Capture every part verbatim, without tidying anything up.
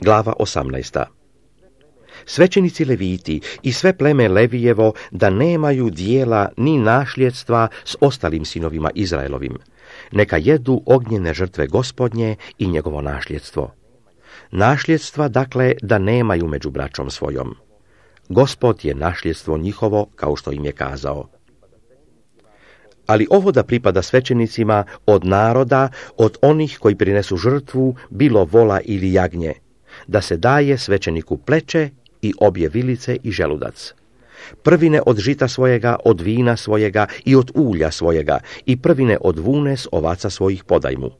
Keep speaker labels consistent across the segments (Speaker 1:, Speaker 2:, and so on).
Speaker 1: Glava osamnaesta. Svećenici Leviti i sve pleme Levijevo da nemaju dijela ni našljedstva s ostalim sinovima Izraelovim. Neka jedu ognjene žrtve Gospodnje i njegovo našljedstvo. Našljedstva, dakle, da nemaju među braćom svojom. Gospod je našljedstvo njihovo, kao što im je kazao. Ali ovo da pripada svećenicima od naroda, od onih koji prinesu žrtvu, bilo vola ili jagnje, da se daje svećeniku pleće i obje vilice i želudac. Prvine od žita svojega, od vina svojega i od ulja svojega i prvine od vune s ovaca svojih podaj mu.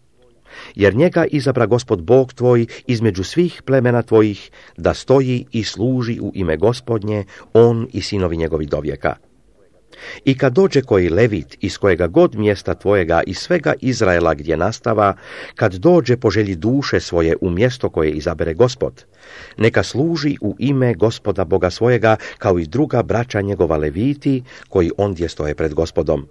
Speaker 1: Jer njega izabra Gospod Bog tvoj između svih plemena tvojih, da stoji i služi u ime Gospodnje, on i sinovi njegovi dovijeka. I kad dođe koji levit iz kojega god mjesta tvojega i svega Izraela gdje nastava, kad dođe po želji duše svoje u mjesto koje izabere Gospod, neka služi u ime Gospoda Boga svojega, kao i druga braća njegova leviti, koji ondje stoje pred Gospodom.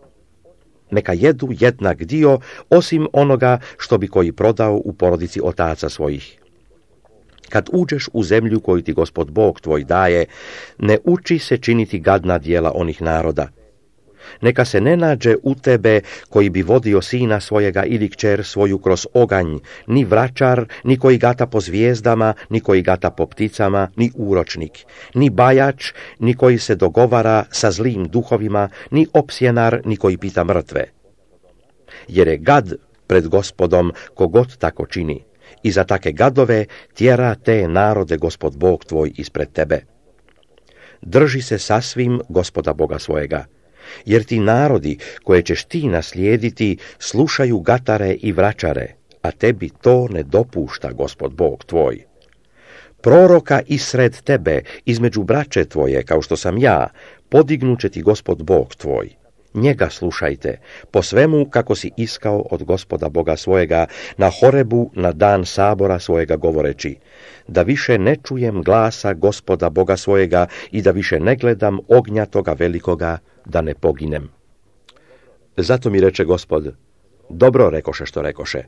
Speaker 1: Neka jedu jednak dio, osim onoga što bi koji prodao u porodici otaca svojih. Kad uđeš u zemlju koju ti Gospod Bog tvoj daje, ne uči se činiti gadna djela onih naroda. Neka se ne nađe u tebe koji bi vodio sina svojega ili kćer svoju kroz oganj, ni vračar, ni koji gata po zvijezdama, ni koji gata po pticama, ni uročnik, ni bajač, ni koji se dogovara sa zlim duhovima, ni opsjenar, ni koji pita mrtve. Jer je gad pred Gospodom kogod tako čini. I za take gadove tjera te narode Gospod Bog tvoj ispred tebe. Drži se sasvim Gospoda Boga svojega, jer ti narodi koje ćeš ti naslijediti slušaju gatare i vračare, a tebi to ne dopušta Gospod Bog tvoj. Proroka isred tebe, između braće tvoje, kao što sam ja, podignuće ti Gospod Bog tvoj. Njega slušajte, po svemu kako si iskao od Gospoda Boga svojega na Horebu na dan sabora svojega govoreći, da više ne čujem glasa Gospoda Boga svojega i da više ne gledam ognja toga velikoga, da ne poginem. Zato mi reče Gospod, dobro rekoše što rekoše.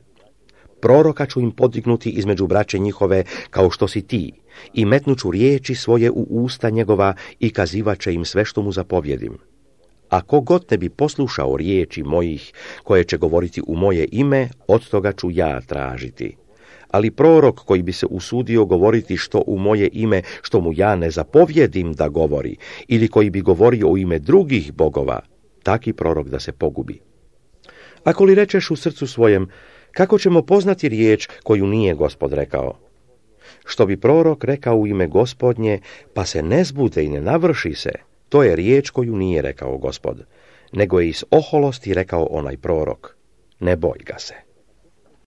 Speaker 1: Proroka ću im podignuti između braće njihove kao što si ti, i metnuću riječi svoje u usta njegova i kazivaće im sve što mu zapovjedim. Ako god ne bi poslušao riječi mojih, koje će govoriti u moje ime, od toga ću ja tražiti. Ali prorok koji bi se usudio govoriti što u moje ime, što mu ja ne zapovjedim da govori, ili koji bi govorio u ime drugih bogova, taki prorok da se pogubi. Ako li rečeš u srcu svojem, kako ćemo poznati riječ koju nije Gospod rekao? Što bi prorok rekao u ime Gospodnje, pa se ne zbude i ne navrši se, to je riječ koju nije rekao Gospod, nego je iz oholosti rekao onaj prorok. Ne boj ga se.